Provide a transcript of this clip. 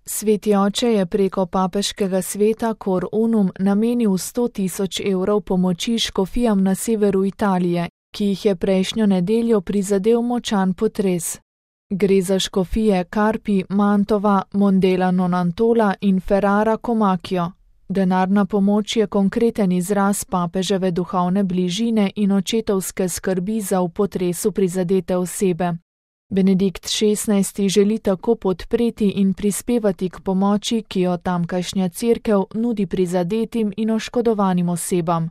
Sveti oče je preko papeškega sveta Cor Unum namenil 100.000 evrov pomoči škofijam na severu Italije, ki jih je prejšnjo nedeljo prizadel močan potres. Gre za škofije Carpi, Mantova, Mondela Nonantola in Ferrara Comacchio. Denarna pomoč je konkreten izraz papeževe duhovne bližine in očetovske skrbi za v potresu prizadete osebe. Benedikt XVI. Želi tako podpreti in prispevati k pomoči, ki jo tamkajšnja cerkev nudi prizadetim in oškodovanim osebam.